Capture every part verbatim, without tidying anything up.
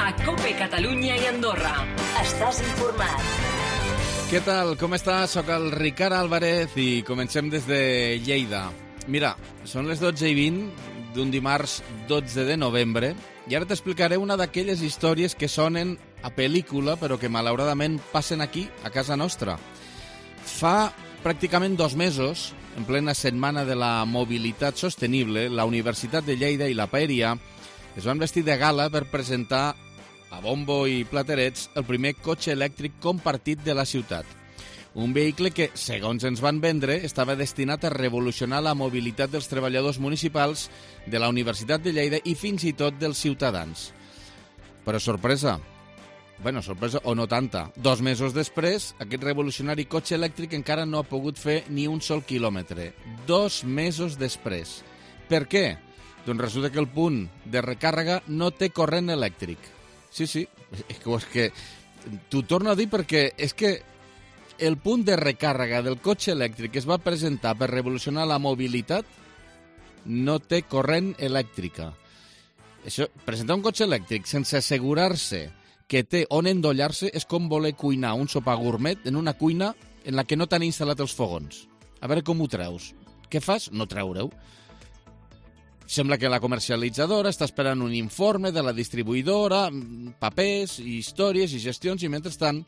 A COPE Catalunya i Andorra. Estàs informat. Què tal? Com estàs? Soc el Ricard Álvarez i comencem des de Lleida. Mira, són les dotze i vint d'un dimarts dotze de novembre i ara t'explicaré una d'aquelles històries que sonen a pel·lícula però que malauradament passen aquí, a casa nostra. Fa pràcticament dos mesos, en plena setmana de la mobilitat sostenible, la Universitat de Lleida i la Paeria es van vestir de gala per presentar a bombo i platerets el primer cotxe elèctric compartit de la ciutat. Un vehicle que, segons ens van vendre, estava destinat a revolucionar la mobilitat dels treballadors municipals de la Universitat de Lleida i fins i tot dels ciutadans. Però sorpresa, bueno, sorpresa o no tanta, dos mesos després, aquest revolucionari cotxe elèctric encara no ha pogut fer ni un sol quilòmetre. Dos mesos després. Per què? Doncs resulta que el punt de recàrrega no té corrent elèctric. Sí, sí, és que t'ho torno a dir perquè és que el punt de recàrrega del cotxe elèctric que es va presentar per revolucionar la mobilitat no té corrent elèctrica. Això, presentar un cotxe elèctric sense assegurar-se que té on endollar-se és com voler cuinar un sopar gourmet en una cuina en la que no t'han instal·lat els fogons. A veure com ho treus. Què fas? No treure-ho. Sembla que la comercialitzadora està esperant un informe de la distribuïdora, papers, històries i gestions, i mentrestant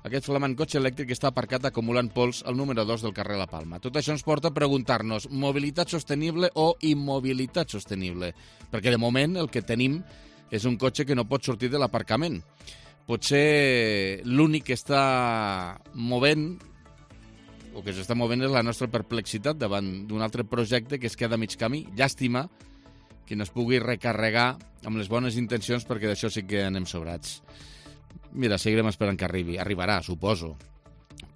aquest flamant cotxe elèctric està aparcat acumulant pols al número dos del carrer La Palma. Tot això ens porta a preguntar-nos mobilitat sostenible o immobilitat sostenible, perquè de moment el que tenim és un cotxe que no pot sortir de l'aparcament. Potser l'únic que està movent o que s'està movent és la nostra perplexitat davant d'un altre projecte que es queda a mig camí. Llàstima que no es pugui recarregar amb les bones intencions, perquè d'això sí que anem sobrats. Mira, seguirem esperant que arribi. Arribarà, suposo.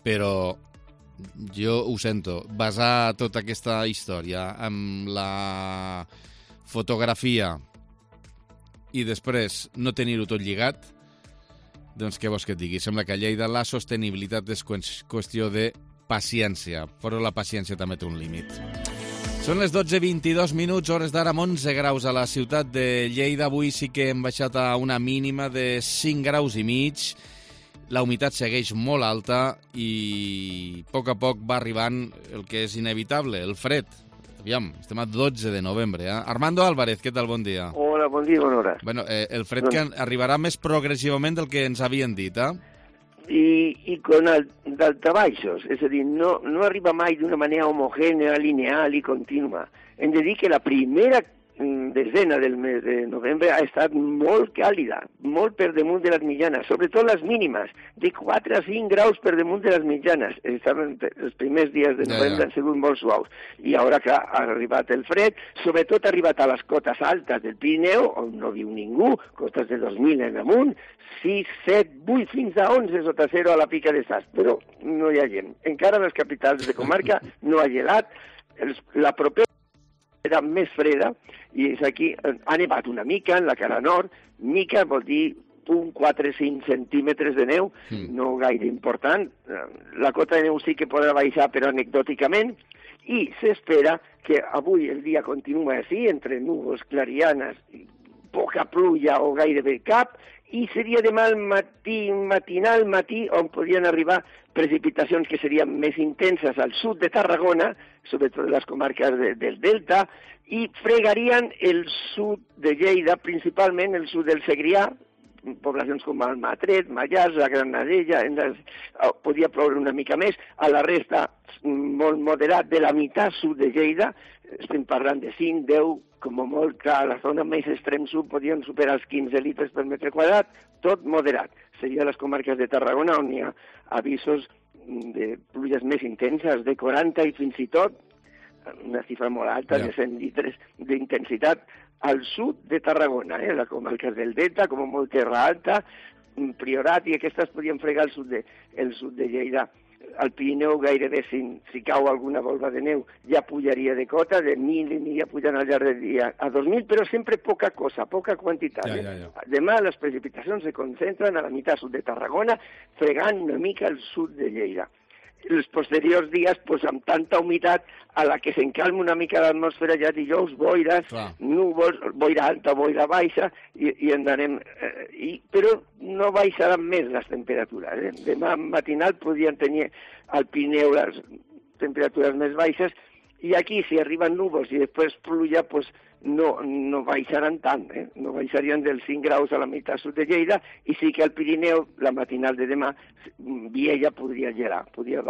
Però jo ho sento. Basar tota aquesta història amb la fotografia i després no tenir-ho tot lligat, doncs què vols que et digui? Sembla que a Lleida la sostenibilitat és qüestió de paciència, però la paciència també té un límit. Són les dotze i vint-i-dos minuts, hores d'ara, amb onze graus a la ciutat de Lleida. Avui sí que hem baixat a una mínima de cinc graus i mig. La humitat segueix molt alta i a poc a poc va arribant el que és inevitable, el fred. Aviam, estem a dotze de novembre. Eh? Armando Álvarez, què tal? Bon dia. Hola, bon dia, bona hora. Bueno, eh, el fred que arribarà més progressivament del que ens havien dit, eh? I, i con daltabaixos, és a dir, no, no arriba mai d'una manera homogènea, lineal i contínua. Hem de dir que la primera desena del mes de novembre ha estat molt càlida, molt per damunt de les mitjanes, sobretot les mínimes, de quatre a cinc graus per damunt de les mitjanes. Estaven, els primers dies de novembre ja, ja. han sigut molt suaus. I ara que ha arribat el fred, sobretot ha arribat a les cotes altes del Pirineu, on no viu ningú, cotes de dos mil en amunt, sis, set, vuit, fins a onze sota zero a la pica de Sas, però no hi ha gent. Encara a les capitals de comarca no ha gelat. Els, la propera era més freda, i és aquí, ha nevat una mica en la cara nord, mica vol dir un quatre a cinc centímetres de neu, mm. no gaire important, la cota de neu sí que podrà baixar, però anecdòticament, i s'espera que avui el dia continua així, entre núvols clarianes, poca pluja o gairebé cap, i seria demà al matí, matinal matí, on podrien arribar precipitacions que serien més intenses al sud de Tarragona, sobretot les comarques de, del Delta, i fregarien el sud de Lleida, principalment el sud del Segrià, poblacions com Almatret, Mallars, la Granadella, les, podia ploure una mica més, a la resta molt moderat de la meitat sud de Lleida, estem parlant de cinc, deu, com a molt que a la zona més extrem sud podien superar els quinze litres per metre quadrat, tot moderat. Seria les comarques de Tarragona on hi ha avisos de pluges més intenses, de quaranta i fins i tot, una xifra molt alta, yeah. de cent litres d'intensitat, al sud de Tarragona, eh? La comarca del Delta, com a molt Terra Alta, Priorat, i aquestes podien fregar el sud de, el sud de Lleida. Al Pirineu gairebé si, si cau alguna volva de neu ja pujaria de cota, de mil i mil ja pujan al llarg del dia a dos mil, però sempre poca cosa, poca quantitat. Ja, ja, ja. Eh? Demà les precipitacions se concentren a la meitat sud de Tarragona, fregant una mica el sud de Lleida. els posteriors dies, pues, amb tanta humitat, a la que s'encalma una mica l'atmosfera, ja dijous, boires, Clar. núvols, boira alta, boira baixa, i, i andarem... Eh, i, però no baixaran més les temperatures. Eh? Demà matinal podrien tenir al Pirineu les temperatures més baixes, i aquí, si arriben núvols i després pluja, pues, no, no baixaran tant, eh? No baixarien dels cinc graus a la meitat sud de Lleida, i sí que al Pirineu, la matinal de demà, Viella podria gelar, podria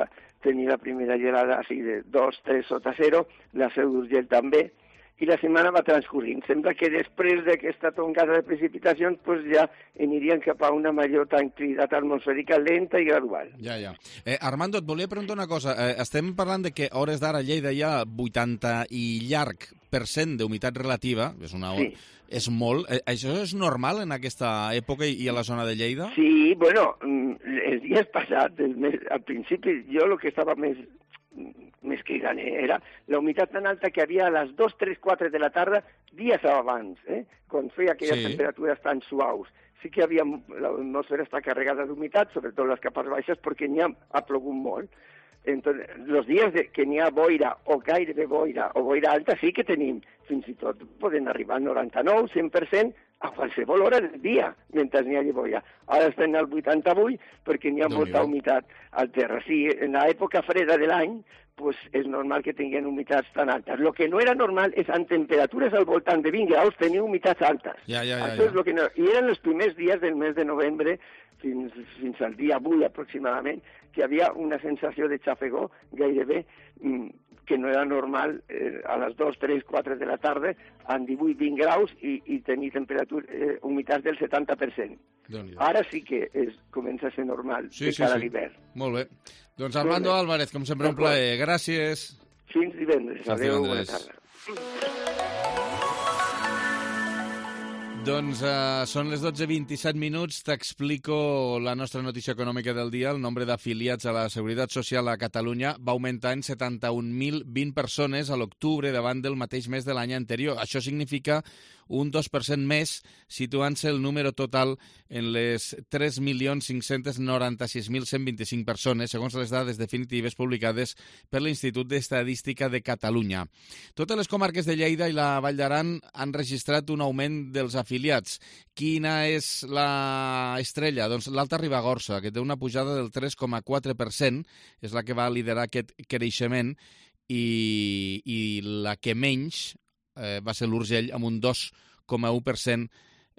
tenir la primera gelada així de dos, tres sota zero, la Seu d'Urgell també, i la setmana va transcorrint. Sembla que després d'aquesta tongada de precipitacions pues ja anirien cap a una major tranquil·litat atmosfèrica lenta i gradual. Ja, ja. Eh, Armando, et volia preguntar una cosa. Eh, estem parlant de que a hores d'ara a Lleida hi ha vuitanta i llarg per cent d'humitat relativa, és, una, sí. és molt. Eh, això és normal en aquesta època i a la zona de Lleida? Sí, bueno, els dies passats, el mes, al principi, jo el que estava més més cridant era la humitat tan alta que havia a les dos, tres, quatre de la tarda, dies abans, eh? Quan feia aquelles sí. temperatures tan suaus. Sí que havia, l'atmosfera està carregada d'humitat, sobretot les capes baixes, perquè n'hi ha, ha plogut molt. Entonces, els dies de, que n'hi ha boira o gairebé boira o boira alta sí que tenim, fins i tot poden arribar al noranta-nou, cent per cent a qualsevol hora del dia, mentre n'hi hagi boira. Ara estem al vuitanta-vuit perquè n'hi ha no molta humitat al terra. Sí, en l'època freda de l'any, pues és normal que tinguin humitats tan altes. El que no era normal és en temperatures al voltant de vint graus tenir humitats altes. Ja, ja, ja, Això ja. és lo que no... I eren els primers dies del mes de novembre, fins, fins al dia avui aproximadament, que hi havia una sensació de xafegó gairebé mm, que no era normal eh, a les dos, tres, quatre de la tarda amb divuit vint graus i, i tenir temperatures, eh, humitats del setanta per cent. Ara sí que és, comença a ser normal sí, de sí, cara sí. a l'hivern. Molt bé. Doncs Armando Álvarez, com sempre, un plaer. Gràcies. Fins divendres. Adéu, bona tarda. Doncs uh, són les dotze vint-i-set minuts. T'explico la nostra notícia econòmica del dia. El nombre d'afiliats a la Seguretat Social a Catalunya va augmentar en setanta-un mil vint persones a l'octubre davant del mateix mes de l'any anterior. Això significa un dos per cent més, situant-se el número total en les tres milions cinc-cents noranta-sis mil cent vint-i-cinc persones, segons les dades definitives publicades per l'Institut d'Estadística de Catalunya. Totes les comarques de Lleida i la Vall d'Aran han registrat un augment dels afiliats. Quina és la estrella? Doncs l'Alta Ribagorça, que té una pujada del tres coma quatre per cent, és la que va liderar aquest creixement, i, i la que menys eh, va ser l'Urgell, amb un dos coma u per cent,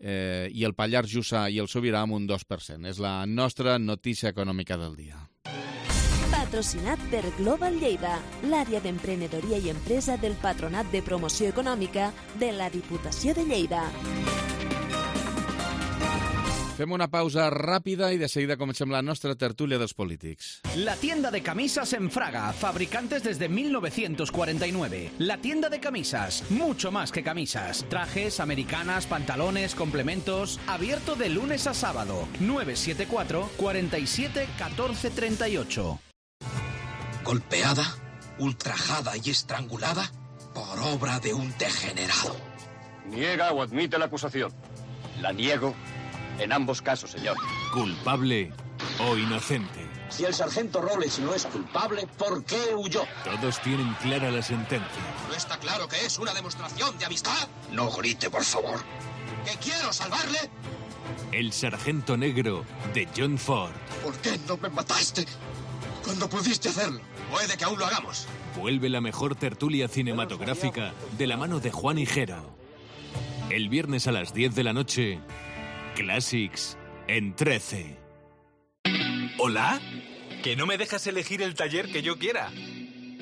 eh, i el Pallars Jussà i el Sobirà amb un dos per cent. És la nostra notícia econòmica del dia. Patrocinat per Global Lleida, l'àrea d'emprenedoria i empresa del Patronat de Promoció Econòmica de la Diputació de Lleida. Fem una pausa ràpida y de seguida comencem la nostra tertúlia dels polítics. La tienda de camisas en Fraga, fabricantes desde mil novecientos cuarenta y nueve. La tienda de camisas, mucho más que camisas. Trajes, americanas, pantalones, complementos. Abierto de lunes a sábado. nueve siete cuatro, cuatro siete, uno cuatro tres ocho. Golpeada, ultrajada y estrangulada por obra de un degenerado. ¿Niega o admite la acusación? La niego. En ambos casos, señor. ¿Culpable o inocente? Si el sargento Robles no es culpable, ¿por qué huyó? Todos tienen clara la sentencia. ¿No está claro que es una demostración de amistad? No grite, por favor. ¿Que quiero salvarle? El sargento negro de John Ford. ¿Por qué no me mataste cuando pudiste hacerlo? Puede que aún lo hagamos. Vuelve la mejor tertulia cinematográfica de la mano de Juan Higuero. El viernes a las diez de la noche... Classics en trece. ¿Hola? ¿Que no me dejas elegir el taller que yo quiera?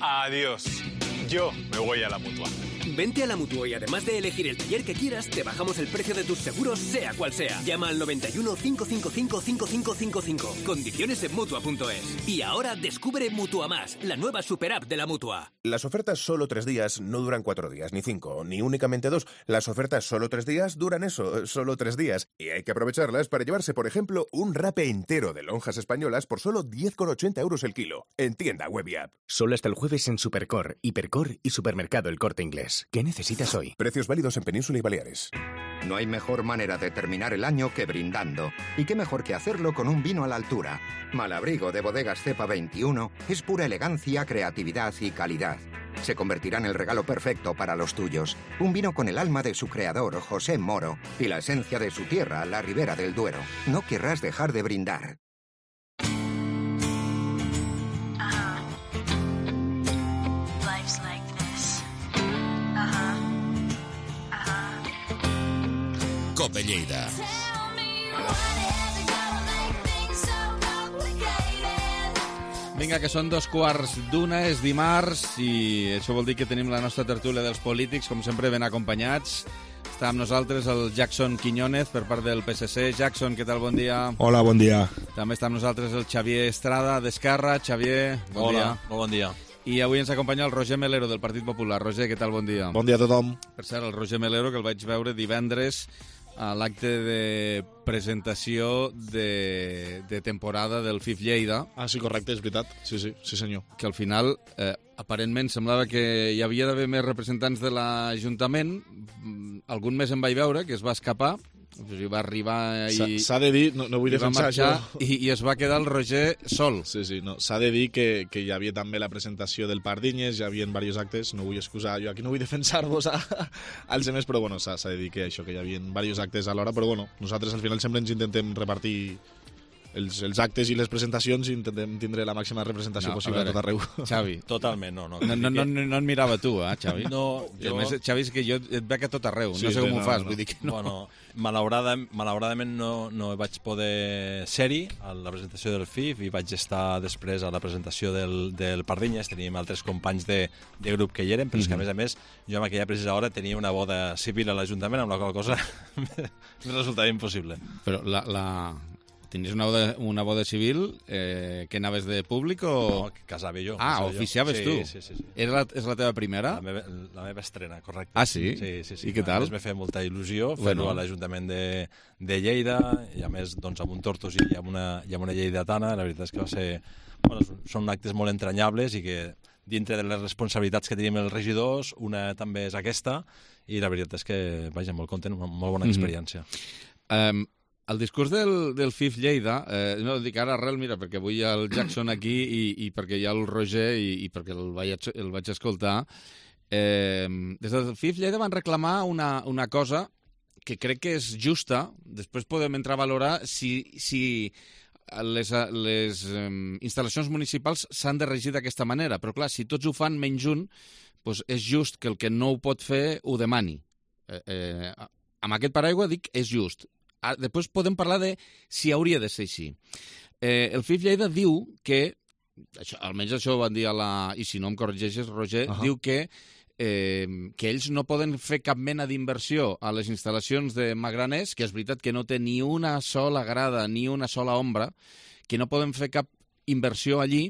Adiós. Yo me voy a la Mutua. Vente a la Mutua y además de elegir el taller que quieras, te bajamos el precio de tus seguros, sea cual sea. Llama al noventa y uno, cinco cinco cinco, cinco cinco cinco cinco. Condiciones en Mutua punto es. Y ahora descubre Mutua Más, la nueva super app de la Mutua. Las ofertas solo tres días no duran cuatro días, ni cinco, ni únicamente dos. Las ofertas solo tres días duran eso, solo tres días. Y hay que aprovecharlas para llevarse, por ejemplo, un rape entero de lonjas españolas por solo diez con ochenta euros el kilo. En tienda web y app. Solo hasta el jueves en Supercor, Hipercor y Supermercado El Corte Inglés. ¿Qué necesitas hoy? Precios válidos en Península y Baleares. No hay mejor manera de terminar el año que brindando. Y qué mejor que hacerlo con un vino a la altura. Malabrigo de Bodegas Cepa veintiuno es pura elegancia, creatividad y calidad. Se convertirá en el regalo perfecto para los tuyos. Un vino con el alma de su creador, José Moro, y la esencia de su tierra, la Ribera del Duero. No querrás dejar de brindar. Cope Lleida. Vinga, que són dos quarts d'una, és dimarts, i això vol dir que tenim la nostra tertúlia dels polítics, com sempre ben acompanyats. Està amb nosaltres el Jackson Quiñónez, per part del P S C. Jackson, què tal? Bon dia. Hola, bon dia. També està amb nosaltres el Xavier Estrada, d'Esquerra. Xavier, bon Hola, dia. molt bon dia. I avui ens acompanya el Roger Melero, del Partit Popular. Roger, què tal? Bon dia. Bon dia a tothom. Per cert, el Roger Melero, que el vaig veure divendres a l'acte de presentació de, de temporada del F I F Lleida. Ah, sí, correcte, és veritat. Sí, sí, sí senyor. Que al final, eh, aparentment, semblava que hi havia d'haver més representants de l'Ajuntament. Algun mes em vaig veure, que es va escapar, i va arribar i... S'ha de dir, no, no vull defensar marxar, això... I, I es va quedar el Roger sol. Sí, sí, no. S'ha de dir que, que hi havia també la presentació del Pardinyes, hi havia diversos actes, no vull excusar, jo aquí no vull defensar-vos als altres, però bueno, s'ha de dir que això, que hi havia diversos actes alhora, però bueno, nosaltres al final sempre ens intentem repartir els, els actes i les presentacions i intentem tindre la màxima representació No, possible a, a veure, tot arreu. Xavi. Totalment, no. No, no, no, no, no et mirava tu, eh, Xavi? No, jo... A més, Xavi, és que jo et veig a tot arreu, Sí, no sé sí, com no, ho fas, no. vull dir que no. Bueno, malauradament, malauradament no, no vaig poder ser-hi a la presentació del F I F i vaig estar després a la presentació del, del Pardinyes. Teníem altres companys de, de grup que hi eren, però és que, a més a més, jo en aquella precisa hora tenia una boda civil a l'Ajuntament, amb la qual cosa me resultava impossible. Però la... la... Tenies una boda, una boda civil, eh, que anaves de públic o...? No, que casava jo. Ah, casava oficiaves jo. tu? Sí, sí, sí. Era la, és la teva primera? La meva, la meva estrena, correcte. Ah, sí? Sí, sí, sí. I què tal? A més, m'he fet molta il·lusió fer-ho Bueno. a l'Ajuntament de, de Lleida, i a més, doncs, amb un Tortosi i amb una, i amb una lleidatana. La veritat és que va ser... Bueno, són actes molt entranyables i que dintre de les responsabilitats que tenim els regidors, una també és aquesta, i la veritat és que, vaja, molt content, una molt bona experiència. Mm-hmm. Um, el discurs del, del F I F Lleida, eh, no, dic ara arrel, mira, perquè vull el Jackson aquí i, i perquè hi ha el Roger i, i perquè el vaig, el vaig escoltar, eh, des del F I F Lleida van reclamar una, una cosa que crec que és justa, després podem entrar a valorar si... si les, les um, instal·lacions municipals s'han de regir d'aquesta manera, però clar, si tots ho fan menys un, doncs és just que el que no ho pot fer ho demani. Eh, eh, amb aquest paraigua dic és just. Ah, després podem parlar de si hauria de ser així. Eh, el F I F Lleida diu que, això, almenys això ho van dir a la... i si no em corregeixes, Roger, uh-huh. diu que Eh, que ells no poden fer cap mena d'inversió a les instal·lacions de Magraners, que és veritat que no té ni una sola grada ni una sola ombra, que no poden fer cap inversió allí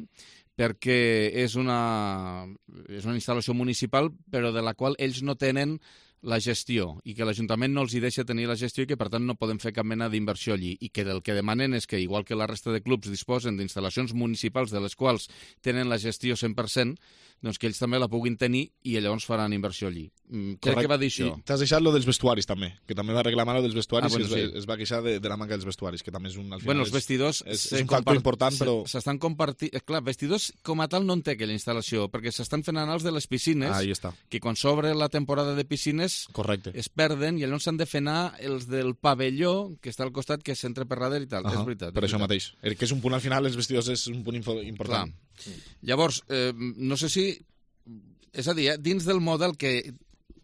perquè és una, és una instal·lació municipal però de la qual ells no tenen la gestió i que l'Ajuntament no els hi deixa tenir la gestió i que per tant no poden fer cap mena d'inversió allí i que el que demanen és que, igual que la resta de clubs disposen d'instal·lacions municipals de les quals tenen la gestió cent per cent, doncs que ells també la puguin tenir i llavors faran inversió allí. Mm, crec que va dir això. I t'has deixat lo dels vestuaris també, que també va reclamar lo dels vestuaris ah, bueno, i es, sí. es va queixar de, de la manca dels vestuaris, que també és un... Al final bueno, els vestidors... És, és un factor important, però... S'estan compartint... Clar, vestidors com a tal no en té aquella instal·lació, perquè s'estan fent anar els de les piscines, ah, ahí està. Que quan s'obre la temporada de piscines correcte. Es perden i llavors s'han de fer anar els del pavelló, que està al costat, que s'entra per darrere i tal. Uh-huh. És veritat. Per és això veritat. mateix. El que és un punt al final, els vestidors és un punt important. Clar. Llavors, eh, no sé si... És a dir, eh, dins del model que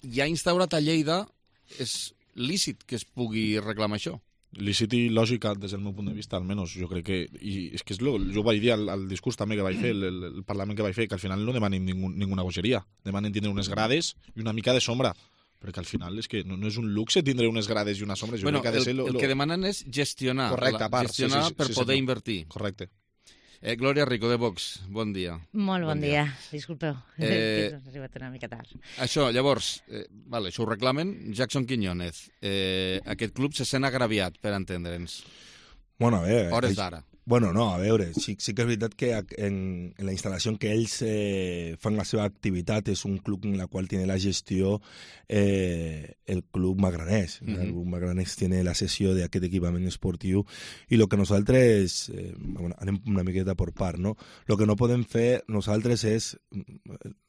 ja ha instaurat a Lleida, és lícit que es pugui reclamar això. Lícit i lògica, des del meu punt de vista, almenys. Jo crec que... I és que és lo, jo vaig dir al, al discurs també que vaig fer, el, el, el Parlament que vaig fer, que al final no demanen ningú, ninguna bogeria. Demanen tindre unes grades i una mica de sombra. Perquè al final és que no, no és un luxe tindre unes grades i una sombra. Jo bueno, crec que ha de el, ser lo, el lo... que demanen és gestionar. Correcte, a part. Gestionar sí, sí, sí, per sí, poder sí, invertir. Correcte. Eh, Glòria Rico, de Vox, bon dia. Molt bon, bon dia. dia. Disculpeu, eh, he arribat una mica tard. Això, llavors, eh, vale, això ho reclamen. Jackson Quiñónez, eh, aquest club se sent agraviat, per entendre'ns. Bueno, a veure... Hores d'ara. Bueno, no, a veure, sí, sí que és veritat que en, en la instal·lació en què ells eh, fan la seva activitat és un club en la qual tiene la gestió eh, el club Magranès. Mm -hmm. El club Magranès tiene la cessió d'aquest equipament esportiu i el que nosaltres, eh, bueno, anem una miqueta per part, no? El que no podem fer nosaltres és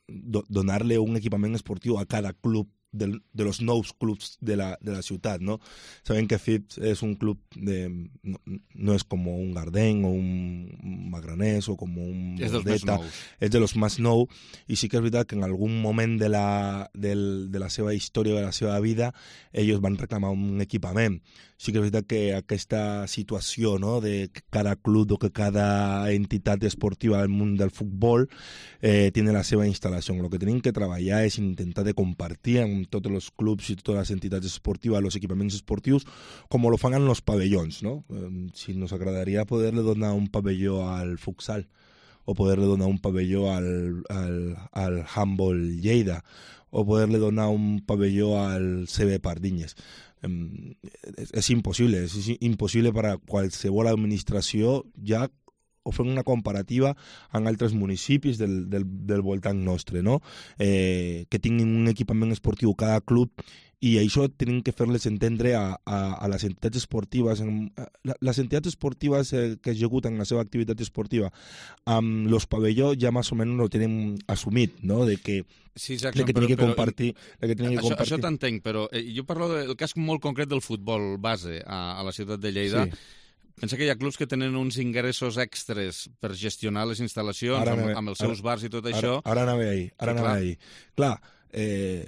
do, donar-li un equipament esportiu a cada club de, de los nous clubs de la, de la ciutat, ¿no? Saben que F I P es un club de... No, no es como un Gardén o un Magranés o como un es Bordeta, és de los más nou, i sí que és veritat que en algun moment de la, del, de la seva història, de la seva vida, ells van reclamar un equipament. Sí que és veritat que aquesta situació, no?, de que cada club o que cada entitat esportiva del món del futbol eh, tiene la seva instal·lació. El que tenim que treballar és intentar de compartir amb tots els clubs i totes les entitats esportives els equipaments esportius com lo fan en els pavellons, no? Eh, si nos agradaria poder-le donar un pavelló al futsal o poder-le donar un pavelló al, al, al handball Lleida o poder-le donar un pavelló al C B Pardinyes. Eh, és, és impossible, és impossible per a qualsevol administració ja o fent una comparativa amb altres municipis del, del, del voltant nostre, no? Eh, que tinguin un equipament esportiu cada club, i això tenim que fer-les entendre a, a, a les entitats esportives. Les entitats esportives eh, que executen la seva activitat esportiva amb los pavellons ja més o menys ho tenen assumit, no? De que Sí, Jackson, que però, que però, compartir, que que això, compartir. Això t'entenc, però eh, jo parlo del cas molt concret del futbol base a, a la ciutat de Lleida. Sí. Pensa que hi ha clubs que tenen uns ingressos extres per gestionar les instal·lacions ara, amb, amb els seus ara, bars i tot ara, això. Ara anava ahir, ara anava ahir. Clar, eh,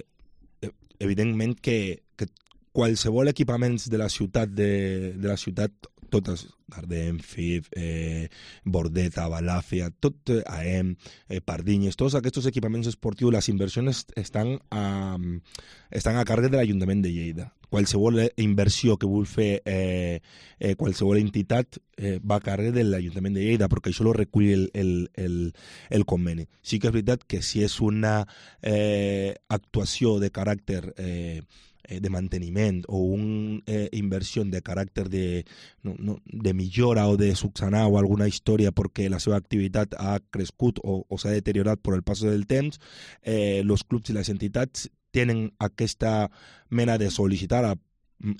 evidentment que, que qualsevol equipaments de la ciutat, de, de la ciutat totes, Gardén, F I P, eh, Bordeta, Balàfia, tot eh, A E M, eh, Pardinyes, tots aquests equipaments esportius, les inversions estan a, estan a càrrec de l'Ajuntament de Lleida. Qualsevol inversió que vol fer eh, eh, qualsevol entitat eh, va a càrrec de l'Ajuntament de Lleida, perquè això ho recull el, el, el, el conveni. Sí que és veritat que si és una eh, actuació de caràcter eh, de manteniment o una eh, inversió de caràcter de, no, no, de millora o de subsanar o alguna història perquè la seva activitat ha crescut o, o s'ha deteriorat per el pas del temps, eh, els clubs i les entitats tenen aquesta mena de sol·licitar a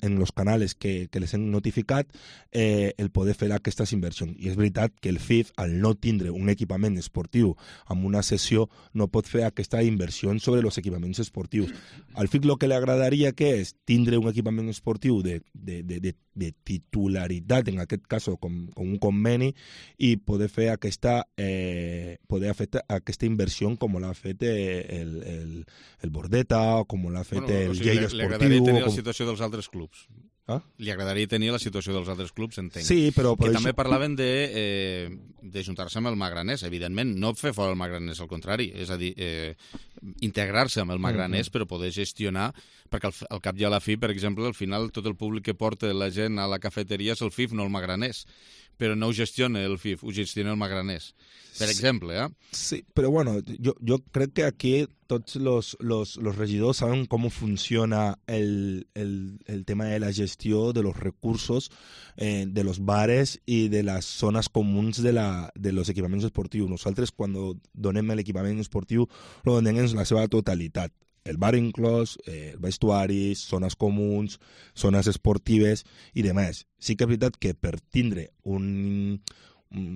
en los canales que, que les hem notificat eh, el poder fer aquestes inversions. I és veritat que el F I F, al no tindre un equipament esportiu amb una sessió, no pot fer aquesta inversió sobre els equipaments esportius. Al F I F el que li agradaria que és tindre un equipament esportiu de, de, de, de, de titularitat, en aquest cas com, com un conveni, i poder fer aquesta, eh, poder fer aquesta inversió com l'ha fet el, el, el Bordeta o com l'ha fet bueno, el o sigui, Lleida Esportiu. Li agradaria tenir com... la situació dels altres clubs. Ah? Li agradaria tenir la situació dels altres clubs, entenc. Sí, però... Que però també això... parlaven de, eh, de juntar-se amb el Magranès, evidentment, no fer fora el Magranès, al contrari, és a dir, eh, integrar-se amb el Magranès, mm-hmm. però poder gestionar, perquè al, al cap i a la fi, per exemple, al final tot el públic que porta la gent a la cafeteria és el F I F, no el Magranès, però no ho gestiona el F I F, ho gestiona el Magranès, per exemple, eh? Sí, però bueno, jo, jo crec que aquí tots los, los, los regidors saben com funciona el, el, el tema de la gestió de los recursos eh, de los bares i de les zones comuns de, la, de los equipaments esportius. Nosaltres, quan donem l'equipament esportiu, lo donem en la seva totalitat. El bar inclòs, eh, vestuaris, zones comuns, zones esportives i demés. Sí que és veritat que per tindre un, un,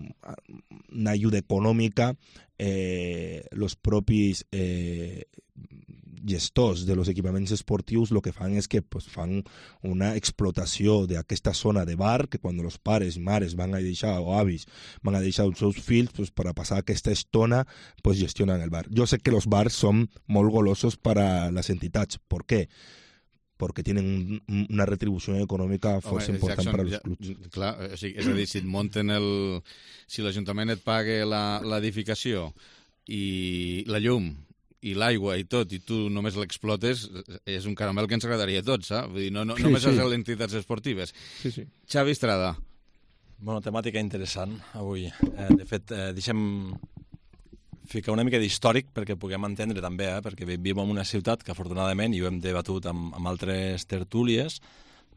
una ajuda econòmica, eh, los propis eh, gestors de los equipaments esportius el que fan és que pues, fan una explotació d'aquesta zona de bar que quan els pares i mares van a deixar, o avis, van a deixar els seus fills pues, per a passar aquesta estona, pues, gestionen el bar. Jo sé que els bars són molt golosos per a les entitats. ¿Por qué? Porque tienen un, una retribució econòmica força Home, important per als clubs. Ja, clar, o sigui, és a dir, si et munten el... Si l'Ajuntament et paga l'edificació i la llum i l'aigua i tot, i tu només l'explotes, és un caramel que ens agradaria a tots, saps? Vull dir, no, no, sí, només sí. les entitats esportives. Sí, sí. Xavi Estrada. Bueno, temàtica interessant avui. Eh, de fet, eh, deixem ficar una mica d'històric perquè puguem entendre també, eh, perquè vivim en una ciutat que afortunadament, i ho hem debatut amb, amb altres tertúlies,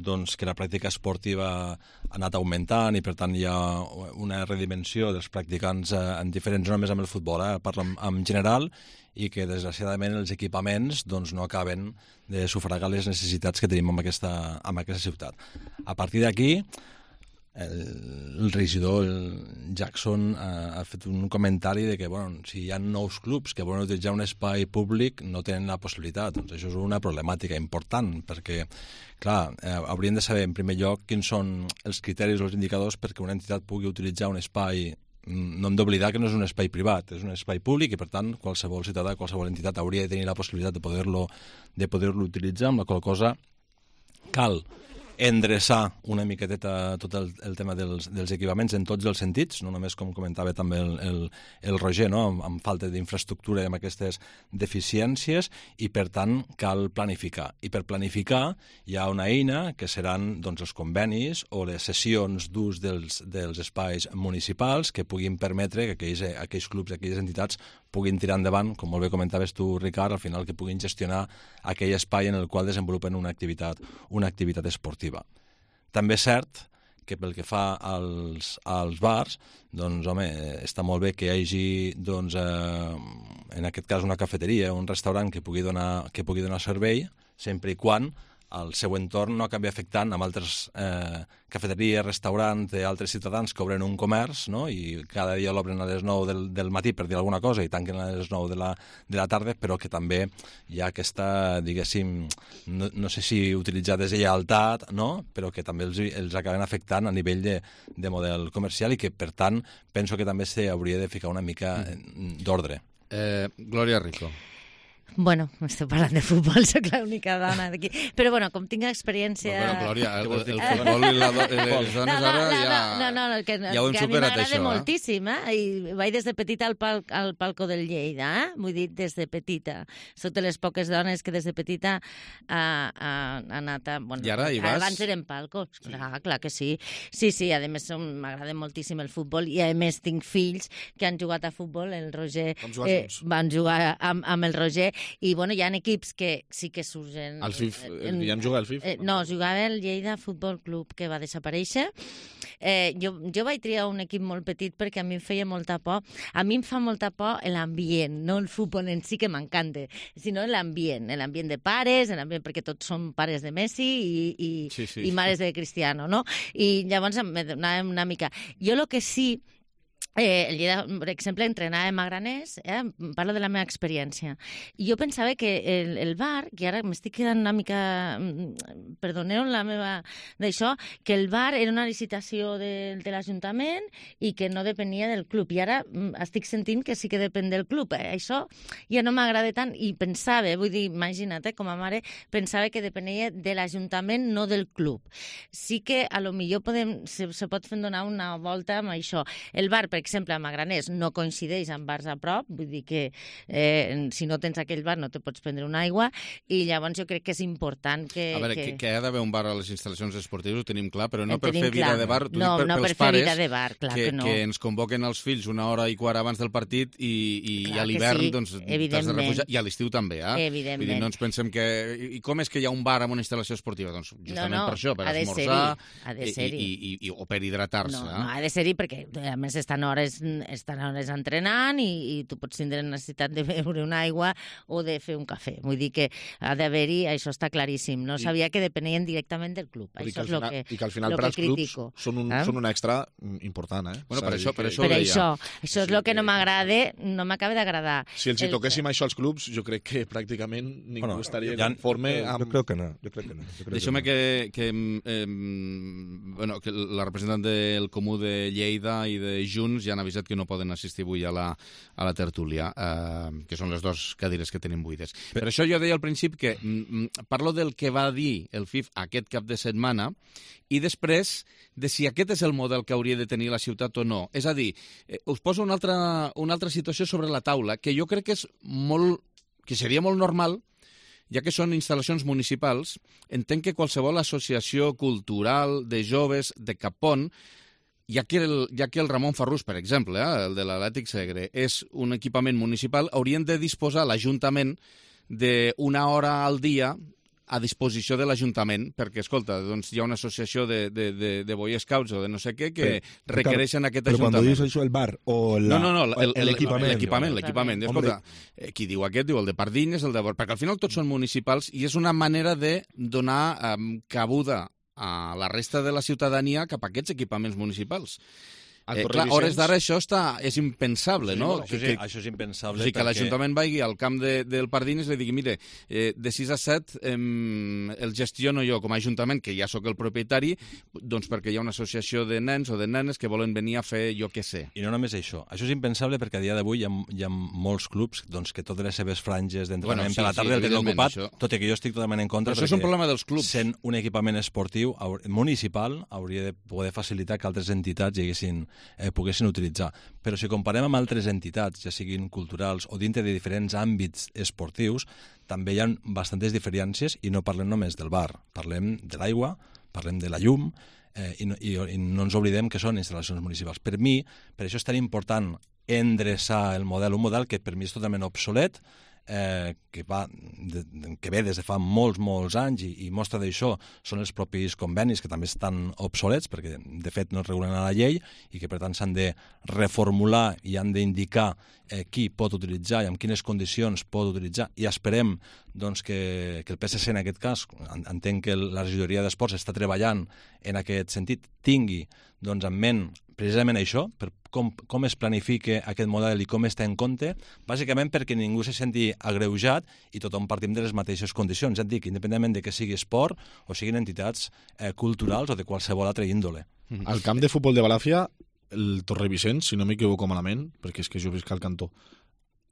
doncs, que la pràctica esportiva ha anat augmentant i per tant hi ha una redimensió dels practicants eh, en diferents, no només amb el futbol, eh, parlo en, en general, i que desgraciadament els equipaments doncs, no acaben de sufragar les necessitats que tenim en aquesta, en aquesta ciutat. A partir d'aquí, el, el regidor el Jackson ha, ha fet un comentari de que bueno, si hi ha nous clubs que volen utilitzar un espai públic no tenen la possibilitat. Doncs això és una problemàtica important perquè, clar, eh, hauríem de saber en primer lloc quins són els criteris o els indicadors perquè una entitat pugui utilitzar un espai. No hem d'oblidar que no és un espai privat, és un espai públic i, per tant, qualsevol ciutadà, qualsevol entitat hauria de tenir la possibilitat de poder-lo de poder-lo utilitzar, amb la qual cosa cal endreçar una miqueteta tot el, el tema dels, dels equipaments en tots els sentits, no només, com comentava també el, el, el Roger, no? amb, amb falta d'infraestructura i amb aquestes deficiències, i per tant cal planificar. I per planificar hi ha una eina que seran doncs, els convenis o les sessions d'ús dels, dels espais municipals que puguin permetre que aquells, aquells clubs, aquelles entitats puguin tirar endavant, com molt bé comentaves tu, Ricard, al final que puguin gestionar aquell espai en el qual desenvolupen una activitat, una activitat esportiva. També és cert que pel que fa als, als bars, doncs, home, està molt bé que hi hagi, doncs, eh, en aquest cas, una cafeteria o un restaurant que pugui donar, que pugui donar servei, sempre i quan el seu entorn no acabi afectant amb altres eh, cafeteries, restaurants d'altres ciutadans que obren un comerç, no? I cada dia l'obren a les nou del, del matí per dir alguna cosa i tanquen a les nou de la, de la tarda, però que també hi ha aquesta, diguéssim, no, no sé si utilitzar deslleialtat, no? Però que també els, els acaben afectant a nivell de, de model comercial i que, per tant, penso que també s'hauria de ficar una mica d'ordre. Eh, Glòria Rico. Bueno, estem parlant de futbol, soc l'única dona d'aquí. Però, bueno, com tinc experiència... Bueno, Glòria, el, el, el futbol i la, les dones no, no, ara ja, no, no, no, que, ja ho hem que superat, a mi m'agrada això. moltíssim, eh? I vaig des de petita al, pal, al palco del Lleida, eh? Vull dir, des de petita. Soc de les poques dones que des de petita ha, ha, ha anat a... Bueno, I ara hi vas? Abans eren palcos, clar, clar que sí. Sí, sí, a més m'agrada moltíssim el futbol i a més tinc fills que han jugat a futbol, el Roger... Eh, van jugar amb, amb el Roger i, bueno, hi ha equips que sí que surgen... El F I F, en, ja hem jugat al F I F? Eh, no, jugava el Lleida Futbol Club, que va desaparèixer. Eh, jo, jo vaig triar un equip molt petit perquè a mi em feia molta por. A mi em fa molta por l'ambient, no el futbol en si, que m'encanta, sinó l'ambient, l'ambient de pares, l'ambient perquè tots som pares de Messi i, i, sí, sí. i mares de Cristiano, no? I llavors me donava una mica... Jo el que sí... Eh, el Lleida, per exemple, entrenàvem a Graners, eh? Parlo de la meva experiència. I jo pensava que el, el bar, que ara m'estic quedant una mica... Perdoneu la meva... d'això, que el bar era una licitació de, de l'Ajuntament i que no depenia del club. I ara estic sentint que sí que depèn del club. Eh? Això ja no m'agrada tant i pensava, vull dir, imagina't, eh, com a mare, pensava que depenia de l'Ajuntament, no del club. Sí que a lo millor podem, se, se pot fer donar una volta amb això. El bar, per exemple, a Magraners no coincideix amb bars a prop, vull dir que eh, si no tens aquell bar no te pots prendre una aigua, i llavors jo crec que és important que... A veure, que, que, que hi ha d'haver un bar a les instal·lacions esportives, ho tenim clar, però no el per fer vida clar. de bar, t'ho no, dic per, no pels per fer pares vida de bar, clar que, que no. que ens convoquen els fills una hora i quart abans del partit i, i clar a l'hivern sí, doncs, t'has de refugiar, i a l'estiu també, eh? Evidentment. Vull dir, no ens pensem que... I com és que hi ha un bar amb una instal·lació esportiva? Doncs justament no, no, per això, per esmorzar i, i, i, i, o per hidratar-se. No, eh? no, ha de ser-hi perquè a més estan hores, estan hores entrenant i, i tu pots tindre necessitat de beure una aigua o de fer un cafè. Vull dir que ha d'haver-hi, això està claríssim. No I, sabia que depenien directament del club. Això és el que, I que al final per als clubs són un, eh? són un extra important. Eh? Bueno, per això, per això, per això, això és el que no m'agrada, no m'acaba d'agradar. Si els hi toquéssim això als clubs, jo crec que pràcticament ningú bueno, estaria ja, conforme amb... Jo crec que no. Jo crec que no. Deixeu-me que, que, eh, bueno, que la representant del Comú de Lleida i de Junts ja han avisat que no poden assistir avui a la, a la tertúlia, eh, que són les dues cadires que tenim buides. Per això jo deia al principi que mm, parlo del que va dir el F I F aquest cap de setmana i després de si aquest és el model que hauria de tenir la ciutat o no. És a dir, eh, us poso una altra, una altra situació sobre la taula que jo crec que és molt, que seria molt normal, ja que són instal·lacions municipals. Entenc que qualsevol associació cultural de joves de Capon, ja que el, ja que el Ramon Farrús, per exemple, eh, el de l'Atlètic Segre, és un equipament municipal, haurien de disposar l'Ajuntament d'una hora al dia a disposició de l'Ajuntament, perquè, escolta, doncs hi ha una associació de, de, de, de Boy Scouts o de no sé què que però, requereixen aquest però Ajuntament. Però quan dius això, el bar o la, no, no, no, l'equipament. L'equipament, l'equipament. Escolta, eh, qui diu aquest, diu el de Pardines, el de... Perquè al final tots són municipals i és una manera de donar um, cabuda a la resta de la ciutadania cap a aquests equipaments municipals. Eh, clar, hores d'ara això està, és impensable, sí, no? Això, que, sí, això és impensable. O sigui, que perquè... l'Ajuntament vagi al camp de, del Pardines i li digui, mire, eh, de sis a set eh, el gestiono jo com a Ajuntament, que ja sóc el propietari, doncs perquè hi ha una associació de nens o de nenes que volen venir a fer jo què sé. I no només això. Això és impensable perquè a dia d'avui hi, hi ha molts clubs doncs, que totes les seves franges d'entrenament bueno, sí, per la tarda sí, el tenen ocupat, això. Tot i que jo estic totalment en contra. Però això és un problema dels clubs. Sent un equipament esportiu municipal hauria de poder facilitar que altres entitats haguessin, eh, poguessin utilitzar. Però si comparem amb altres entitats, ja siguin culturals o dintre de diferents àmbits esportius, també hi ha bastantes diferències i no parlem només del bar. Parlem de l'aigua, parlem de la llum eh, i, no, i, i no ens oblidem que són instal·lacions municipals. Per mi, per això és tan important endreçar el model, un model que per mi és totalment obsolet, Eh, que, va, de, que ve des de fa molts, molts anys i, i mostra d'això són els propis convenis que també estan obsolets perquè de fet no es regulen a la llei i que per tant s'han de reformular i han d'indicar eh, qui pot utilitzar i amb quines condicions pot utilitzar i esperem doncs, que, que el P S C en aquest cas, entenc que la regidoria d'esports està treballant en aquest sentit, tingui doncs, en ment precisament això, per com, com es planifica aquest model i com està en compte, bàsicament perquè ningú se senti agreujat i tothom partim de les mateixes condicions. Ja et dic, independentment de que sigui esport o siguin entitats eh, culturals o de qualsevol altra índole. Al camp de futbol de Balàfia, el Torrevicenç, si no m'equivoco malament, perquè és que jo visc al cantó,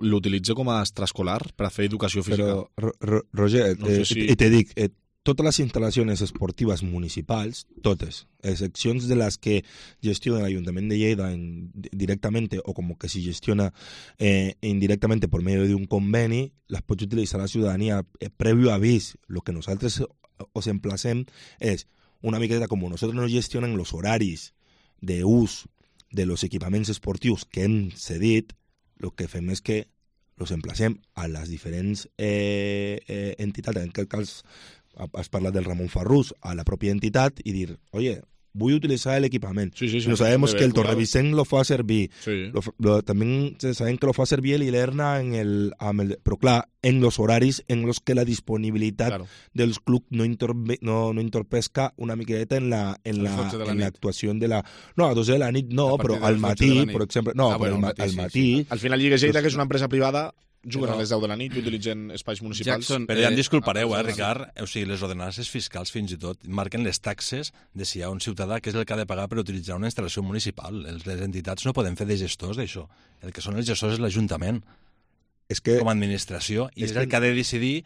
l'utilitza com a extraescolar per a fer educació física. Però, Roger, no sé si... te dic, eh, totes les instal·lacions esportives municipals, totes, excepcions de les que gestiona l'Ajuntament de Lleida en, directamente o como que si gestiona eh, indirectamente por medio de un conveni, les pots utilitzar la ciutadania eh, previo avís. Lo que nosaltres os emplacem és una miqueta com nosaltres no gestionen los horaris de ús de los equipaments esportius que hem cedit, lo que fem és que los emplacem a les diferents eh, eh, entitats, en aquest cas has parlat del Ramon Farrús, a la pròpia entitat i dir, oye, vull utilitzar el equipament. Sí, sí, sí, no sabemos que el Torrevicenç lo fa servir. Sí. Lo, lo, también saben que lo fa servir el Ilerna en el, amb el... Però clar, en los horaris en los que la disponibilitat claro. dels clubs no, interve, no, no entorpesca una miqueta en la en la, la en l'actuació de la... No, a dos de la nit no, però al matí, per exemple... No, ah, però bueno, al, matí, al sí, matí... Sí. Al final Lliga Lleida, que és una empresa privada, juguen a les deu de la nit i utilitzen espais municipals. Jackson, però ja em disculpareu, eh, Ricard, o sigui, les ordenances fiscals fins i tot marquen les taxes de si hi ha un ciutadà que és el que ha de pagar per utilitzar una instal·lació municipal. Les entitats no poden fer de gestors d'això. El que són els gestors és l'Ajuntament, és que, com a administració, i és, és el que ha de decidir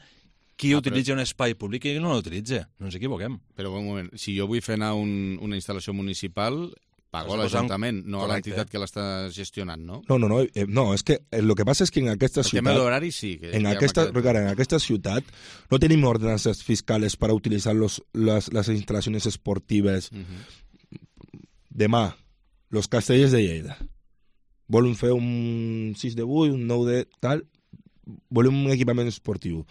qui ah, utilitza però... un espai públic i qui no l'utilitza. No ens equivoquem. Però un moment, si jo vull fer anar un, una instal·lació municipal... Pago a l'Ajuntament, no a l'entitat que l'està gestionant, no? No, no, no, eh, no, és que el que passa és que en aquesta el ciutat... El tema de l'horari sí. Que en, aquesta, quedat... en aquesta ciutat no tenim ordenances fiscals per utilitzar los, les, les instal·lacions esportives. Uh -huh. Demà, los Castellers de Lleida. Volen fer un sis de vuit, un nou de tal... Volen un equipament esportiu.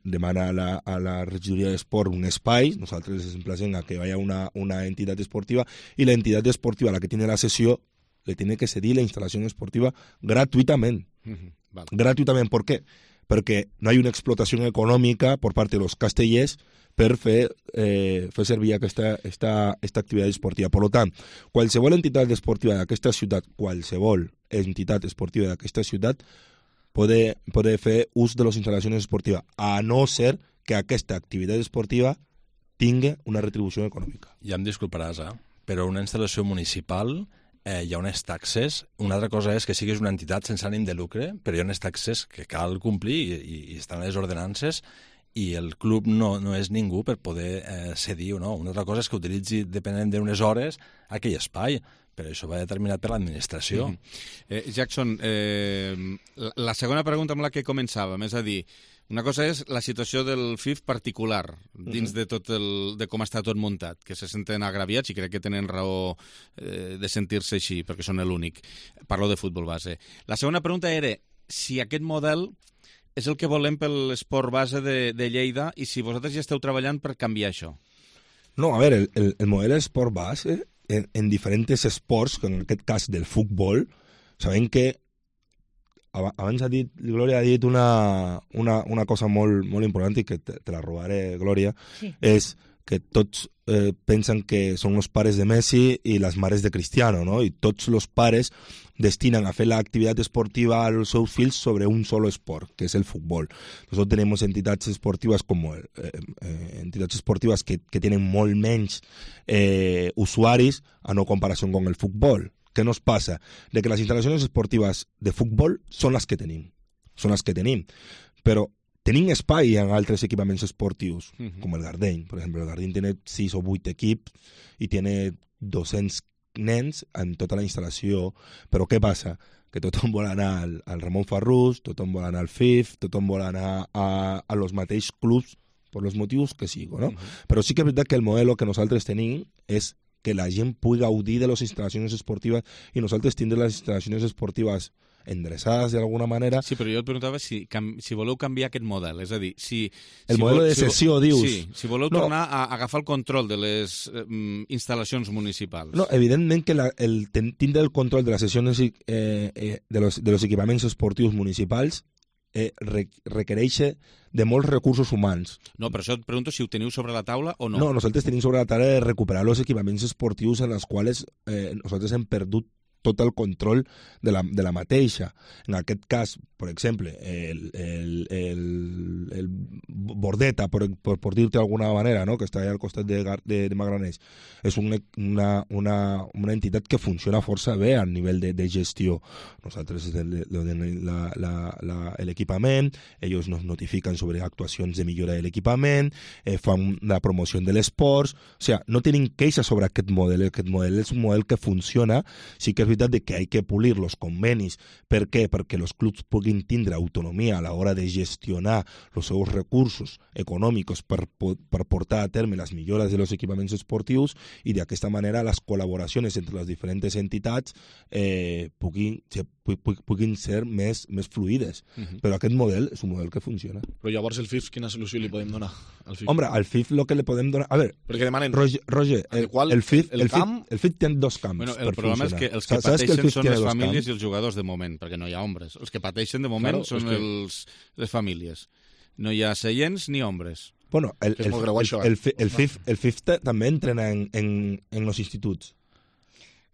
Demana a la, a la regidoria d'esport un espai, nosaltres ens emplacem a que hi hagi una, una entitat esportiva i la entitat esportiva, la que tiene la sessió, le tiene que cedir la instal·lació esportiva gratuïtament. Uh-huh. Vale. Gratuïtament, ¿por qué? Perquè no hi ha una explotació econòmica per part de los castellers per fer, eh, fer servir aquesta esta, esta activitat esportiva. Per tant, qualsevol entitat esportiva d'aquesta ciutat, qualsevol entitat esportiva d'aquesta ciutat, Poder, poder fer ús de les instal·lacions esportives, a no ser que aquesta activitat esportiva tingui una retribució econòmica. Ja em disculparàs, eh? Però una instal·lació municipal eh, hi ha unes taxes. Una altra cosa és que siguis una entitat sense ànim de lucre, però hi ha unes taxes que cal complir i, i, i estan a les ordenances i el club no, no és ningú per poder eh, cedir o no. Una altra cosa és que utilitzi, depenent d'unes hores, aquell espai, però això va determinat per l'administració. Mm -hmm. eh, Jackson, eh, la, la segona pregunta amb la que començàvem, és a dir, una cosa és la situació del F I F particular, dins mm -hmm. de tot el, de com està tot muntat, que se senten agraviats i crec que tenen raó eh, de sentir-se així, perquè són l'únic. Parlo de futbol base. La segona pregunta era si aquest model és el que volem per l'esport base de, de Lleida i si vosaltres ja esteu treballant per canviar això. No, a veure, el, el, el model d'esport base en, en diferents esports, en aquest cas del futbol, sabem que abans ha dit, Glòria ha dit una, una, una cosa molt, molt important i que te, te la robaré, Glòria, sí. És que tots eh, pensen que són els pares de Messi i les mares de Cristiano, ¿no? I tots els pares destinen a fer l'activitat esportiva als seus fills sobre un solo esport, que és el futbol. Nosotros tenemos entidades esportivas como eh, eh, entidades esportivas que, que tienen molt menys eh, usuaris a no comparación con el fútbol. ¿Qué nos pasa? De que las instalaciones esportivas de fútbol son las que tenim, son las que tenim, però tenim espai en altres equipaments esportius, uh -huh. com el Gardeny. Per exemple, el Gardeny tiene sis o vuit equips i tiene dos-cents nens en tota la instal·lació, però què passa? Que tothom vol anar al, al Ramon Farrús, tothom vol anar al F I F, tothom vol anar a, a los mateixos clubs per els motius que sigo, no? Uh -huh. Però sí que és veritat que el model que nosaltres tenim és que la gent pugui gaudir de les instal·lacions esportives i nosaltres tindrem les instal·lacions esportives endreçades d'alguna manera. Sí, però jo et preguntava si, si voleu canviar aquest model, és a dir, si... El si model vol, de cessió, si, dius? Sí, si voleu no. tornar a agafar el control de les eh, instal·lacions municipals. No, evidentment que la, el tindre el control de les sessions eh, eh, de, los, de los equipaments esportius municipals eh, requereix de molts recursos humans. No, però això et pregunto si ho teniu sobre la taula o no. No, nosaltres tenim sobre la taula de recuperar els equipaments esportius en els quals eh, nosaltres hem perdut tot el control de la, de la mateixa. En aquest cas, per exemple, el, el, el, el Bordeta, per, per, per dir-te d'alguna manera, no? Que està allà al costat de, de, de Magraners, és una, una, una, una entitat que funciona força bé a nivell de, de gestió. Nosaltres l'equipament, ells nos notifiquen sobre actuacions de millora de l'equipament, eh, fan la promoció de l'esport, o sigui, no tenim queixa sobre aquest model. Aquest model és un model que funciona, sí que és veritat de que hay que pulir los convenis. Per què? Perquè els clubs puguin tindre autonomia a l'hora de gestionar els seus recursos econòmics per, per portar a terme les millores de los equipaments esportius i d'aquesta manera les col·laboracions entre les diferents entitats eh, puguin, puguin ser més, més fluides. Uh-huh. Però aquest model és un model que funciona. Però llavors el F I F, quina solució li podem donar al F I F? Hombre, al F I F lo que le podem donar... A ver, perquè demanen... Roger, Roger el, qual, el, F I F, el, el, camp... el, el F I F té dos camps bueno, per funcionar. El problema és que els que ¿Sabes pateixen que són les famílies camps? i els jugadors de moment, perquè no hi ha hombres. Els que pateixen de moment claro, són que... els, les famílies. No hi ha seients ni hombres. Bueno, el, el, el, el, el, el, el, F I F, el F I F també entrena en, en, en los instituts.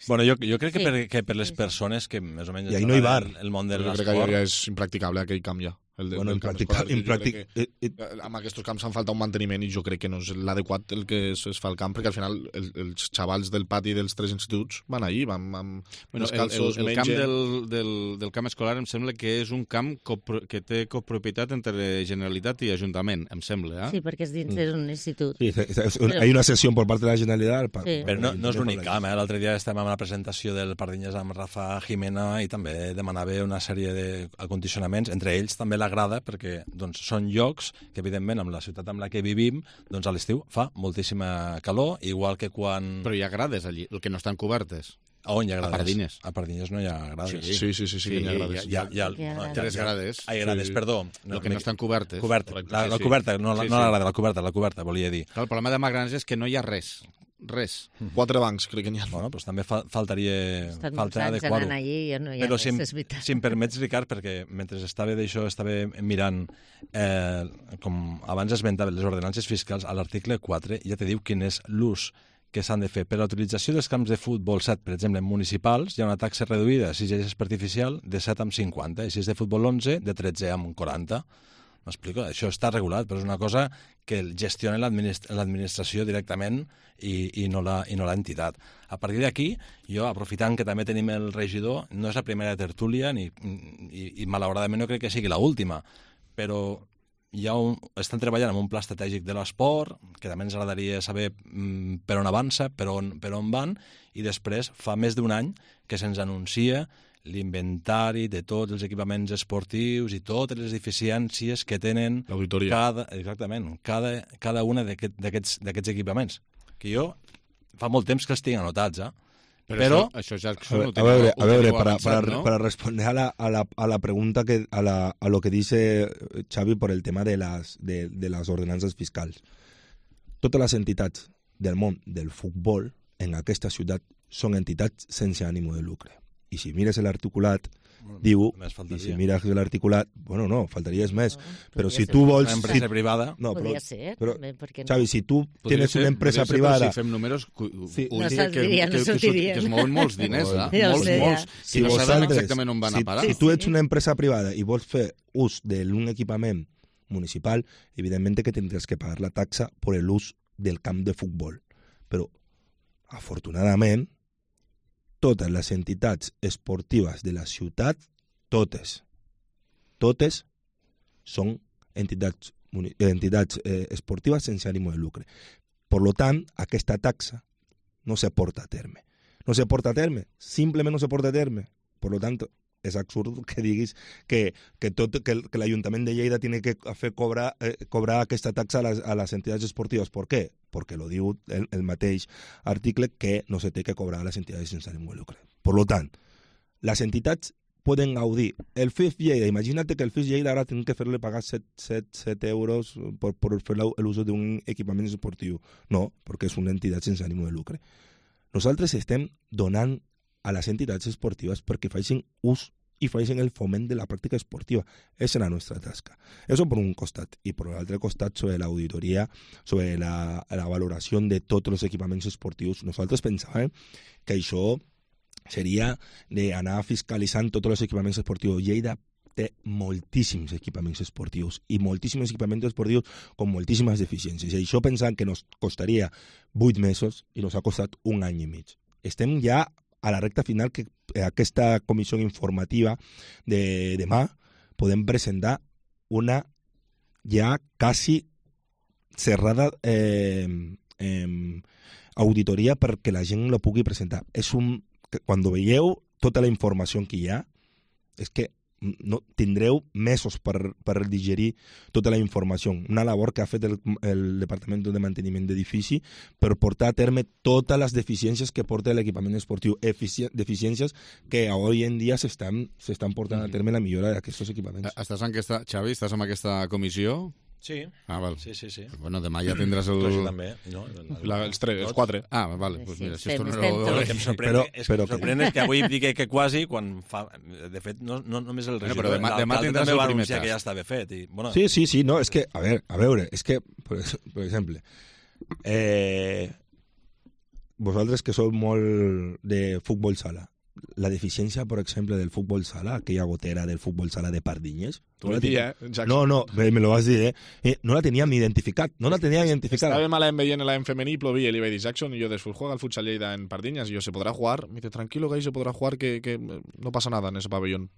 Bueno, jo, jo crec que, Sí. per, que per les persones que més o menys... I ahí no hi va. El, el món de Jo crec que l'esport... ja és impracticable aquell camp ja. El de, Bueno, el camp impractica- escolar. Jo impractic- crec que, eh, amb aquests camps fan falta un manteniment i jo crec que no és l'adequat el que es, es fa al camp, perquè al final el, els xavals del pati dels tres instituts van allí, van amb Bueno, el, el, el camp del, del, del camp escolar em sembla que és un camp copro, que té copropietat entre Generalitat i Ajuntament, em sembla. Eh? Sí, perquè és dins d'un institut. Sí, es, es, un, hay una sesión por parte de la Generalitat. Pa, Sí. Però no, no és l'únic camp, eh? L'altre dia estàvem amb la presentació del Pardinyes amb Rafa Jimena i també demanava una sèrie d'acondicionaments, entre ells també la grada, perquè doncs, són llocs que, evidentment, amb la ciutat amb la que vivim, doncs a l'estiu fa moltíssima calor, igual que quan... Però hi ha grades allí, el que no estan cobertes. A on hi ha grades? A Pardines. A Pardines no hi ha grades. Sí, sí, sí, sí, sí, que hi ha grades. Hi ha, hi ha, Hi ha grades. Tres grades. Hi ha grades, Sí. perdó. El que no estan cobertes. Coberta, la, la Sí, sí. coberta, no, la, Sí, no sí. la grada, la coberta, la coberta, volia dir. Clar, el problema de Magrans és que no hi ha res. Res. Quatre bancs, crec que n'hi ha. Bueno, doncs també fa, faltaria, Estan molts falta anys adequar-ho. anant allí i no hi ha Però res, si, em, és veritat. si em permets, Ricard, perquè mentre estava d'això, estava mirant, eh, com abans esmentava, les ordenances fiscals, a l'article quatre ja te diu quin és l'ús que s'han de fer. Per a la utilització dels camps de futbol set, per exemple, municipals, hi ha una taxa reduïda, si ja és artificial, de set amb cinquanta, i si és de futbol onze, de tretze amb quaranta. M'explico? Això està regulat, però és una cosa que gestiona l'administ l'administració directament i, i no la- i no l'entitat. A partir d'aquí, jo, aprofitant que també tenim el regidor, no és la primera tertúlia ni, i, i malauradament no crec que sigui l'última, però hi ha un, estan treballant en un pla estratègic de l'esport, que també ens agradaria saber mm, per on avança, per on, per on van, i després fa més d'un any que se'ns anuncia l'inventari de tots els equipaments esportius i totes les deficiències que tenen cada, exactament, cada, cada una d'aquests aquest, d'aquests equipaments. Que jo fa molt temps que els tinc anotats, eh? Però, Però això, això ja a, ver, a veure, a veure para, avançat, para, ¿no? para responder a la, a la, a la pregunta, que a, la, a lo que dice Xavi por el tema de las, de, de las ordenances fiscals. Totes les entitats del món del futbol en aquesta ciutat són entitats sense ànim de lucre. I si mires l'articulat, bueno, diu, i si mires l'articulat, bueno, no, faltaries més, no, però si tu vols... Una empresa si, privada... No, però, podria ser, però, també, perquè no? Xavi, si tu podria tienes ser, una empresa ser, privada... Si fem números, sí. no saldria, no sortiria. Que, que, que es mouen molts diners, eh? Ja molts, molts. Si I no vosaltres, sabem exactament on van si, a parar. Si tu ets una empresa privada i vols fer ús d'un equipament municipal, evidentment que tindràs que pagar la taxa per l'ús del camp de futbol. Però, afortunadament, totes les entitats esportives de la ciutat, totes, totes són entitats, entitats eh, esportives sense ànim de lucre. Per lo tant, aquesta taxa no se porta a terme. No se porta a terme, simplement no se porta a terme. Per lo tant, és absurd que diguis que, que, tot, que, que l'Ajuntament de Lleida tiene que fer cobrar, eh, cobrar aquesta taxa a les, a les entitats esportives. Per què? Perquè lo diu el, el mateix article que no se té que cobrar a les entitats sense ànim de lucre. Per lo tant, les entitats poden gaudir. El F I F Lleida, imagina't que el F I F Lleida ara tenen que fer-li pagar set euros per, per fer l'ús d'un equipament esportiu. No, perquè és una entitat sense ànim de lucre. Nosaltres estem donant a les entitats esportives perquè facin ús i facin el foment de la pràctica esportiva. Esa és la nostra tasca. Eso per un costat. I per l'altre costat, sobre l'auditoria, sobre la, la valoració de tots els equipaments esportius, nosaltres pensàvem que això seria d'anar fiscalitzant tots els equipaments esportius. Lleida té moltíssims equipaments esportius i moltíssims equipaments esportius amb moltíssimes deficiències. I això pensant que nos costaria vuit mesos i nos ha costat un any i mig. Estem ja a la recta final que aquesta comissió informativa de demà podem presentar una ja quasi cerrada eh, eh, auditoria perquè la gent la pugui presentar. És un... Quan veieu tota la informació que hi ha, és que no, tindreu mesos per, per digerir tota la informació. Una labor que ha fet el, el Departament de Manteniment d'Edifici per portar a terme totes les deficiències que porta l'equipament esportiu. Efici deficiències que avui en dia s'estan s'estan portant a terme la millora d'aquests equipaments. Estàs en aquesta, Xavi, estàs en aquesta comissió? Sí. Ah, val. Sí, sí, sí. Bueno, demà ja tindràs el... Tu també, no? La, els tres, els quatre. Ah, vale, doncs mira, si Estem, esto no estem lo... tots. El que em sorprèn, Però- és, però em sorprèn és que avui dic que quasi, quan fa... De fet, no, no només el Bueno, regidor, però demà- demà l'alcalde tindràs també el va primer anunciar que tast. ja estava fet. I, bueno, Sí, sí, sí, no, és que, a veure, a veure, és que, per, per exemple, eh, vosaltres que sou molt de futbol sala, la deficiència, per exemple, del futbol sala, aquella gotera del futbol sala de Pardinyes... Tu ho dius, eh, Jackson? No, no, me, me lo vas dir, eh? eh? No la teníem identificat, no la teníem identificada. Estàvem a l'A M veient l'A M femení i plovia i li vaig dir Jackson i jo después juega al futsal Lleida en Pardiñas y yo se podrá jugar. Me dice, tranquilo que ahí se podrá jugar, que, que no pasa nada en ese pabellón.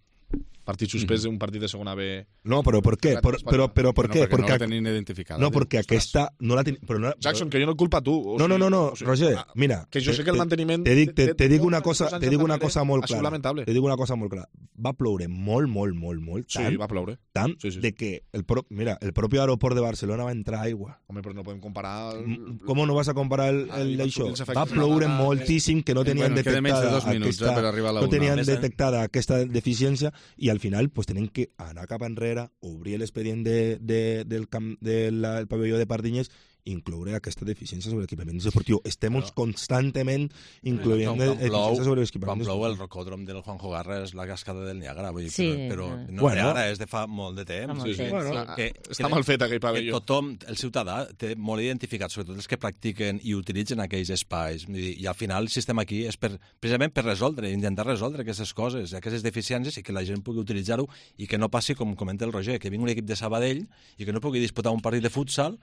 Partit suspès d'un partit de segona B. No, però per què? Però, però, però per No, què? perquè no la Perquè- tenien identificada. No, diu. perquè aquesta no la ten... però no, Jackson, que jo no et culpa a tu. O No, no, sigui, no, no, o sigui, Roger, ah, mira. Que jo sé que el te- manteniment... Te dic, te, de- te de dic una molts cosa, anys te dic una darrere cosa molt ha sigut clara. lamentable. Te dic una cosa molt clara. Va ploure molt, molt, molt, molt, Sí, tant, va ploure. tant Sí, sí. de que el pro... mira, el propi aeroport de Barcelona va entrar aigua. Home, però no podem comparar... Mm, Com no vas a comparar el, Ah, el i d'això? els efectes Va ploure naturals. moltíssim que no tenien Bueno, queda menys de detectada dos minuts, eh, per arribar a la no una. tenien Més de- detectada aquesta deficiència i al final pues, tenen que anar cap enrere, obrir l'expedient de, de, del camp del de pavelló de Pardinyes i incloure aquesta deficiència sobre l'equipament esportiu. Estem Però- constantment incloent quan, quan plou, deficiències sobre quan l'equipament plou el esportiu. rocòdrom del Juanjo Garra és la cascada del Niàgara, vull dir, Sí, però, però eh. no Bueno. bueno, ara, és de fa molt de temps. Fa molt Sí, sí. temps, Bueno, sí. que, Està que, mal fet aquell que pavelló. tothom, el ciutadà, té molt identificat, sobretot els que practiquen i utilitzen aquells espais. Vull dir, I al final el sistema aquí és per, precisament per resoldre, intentar resoldre aquestes coses, aquestes deficiències i que la gent pugui utilitzar-ho i que no passi, com comenta el Roger, que vingui un equip de Sabadell i que no pugui disputar un partit de futsal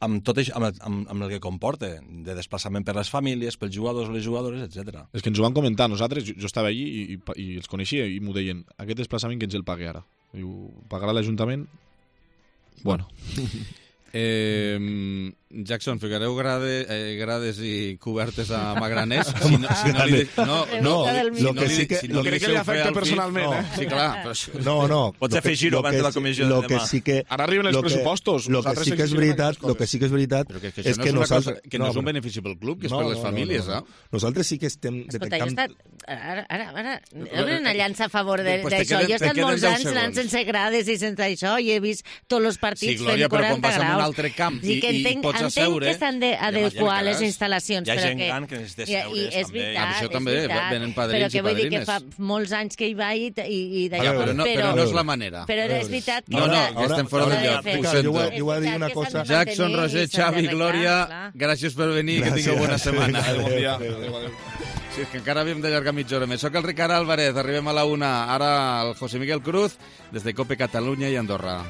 amb tot això, amb, el, amb, amb el que comporta, de desplaçament per les famílies, pels jugadors o les jugadores, etcètera. És que ens ho van comentar nosaltres, jo, jo estava allí i, i, i els coneixia i m'ho deien, aquest desplaçament que ens el pagui ara. Diu, pagarà l'Ajuntament? Bueno. Eh, Jackson, ficareu grade, eh, grades i cobertes a Magraners? Si no, si no, li, no, no, lo que sí que... Si no lo crec que li afecta personalment, no, eh? Sí, clar. Però... No, no. Pots afegir-ho abans de la comissió de lo que demà. sí que, Ara arriben els lo que, pressupostos. Lo que sí que és veritat, lo que sí que és veritat Però que, que és no que és una nosaltres... cosa, que no, no és un benefici pel club, que és per les famílies, no, no. eh? Nosaltres sí que estem Escolta, jo he detectant... estat... Ara, ara, ara... Obre una llança a favor d'això. Pues Jo he estat molts anys anant sense grades i sense això i he vist tots els partits sí, Glòria, fent quaranta però quan vas graus. a un altre camp i, sí que entenc, i pots entenc asseure... que s'han d'adequar les instal·lacions. Hi ha però gent que, gran que necessita i, seure's, i és també. veritat, Ah, això és també, veritat, venen padrins però que i vull dir que padrines. fa molts anys que hi vaig i, i, i d'allò... Ja, però, no, però no és la manera. Però és veritat que... No, no, s'ha- que estem fora s'ha del de lloc, fer. ho sento. Jo vull- jo vull dir És una veritat que cosa. s'han de Jackson, mantenir Roger, i s'han Xavi, d'arreglar, Glòria, clar. gràcies per venir i que Gràcies. tingueu bona setmana. Bon dia. Adéu, Adéu, adéu. Sí, és que encara havíem d'allargar mitja hora més. Soc el Ricard Álvarez, arribem a la una. Ara el José Miguel Cruz, des de Cope Catalunya i Andorra.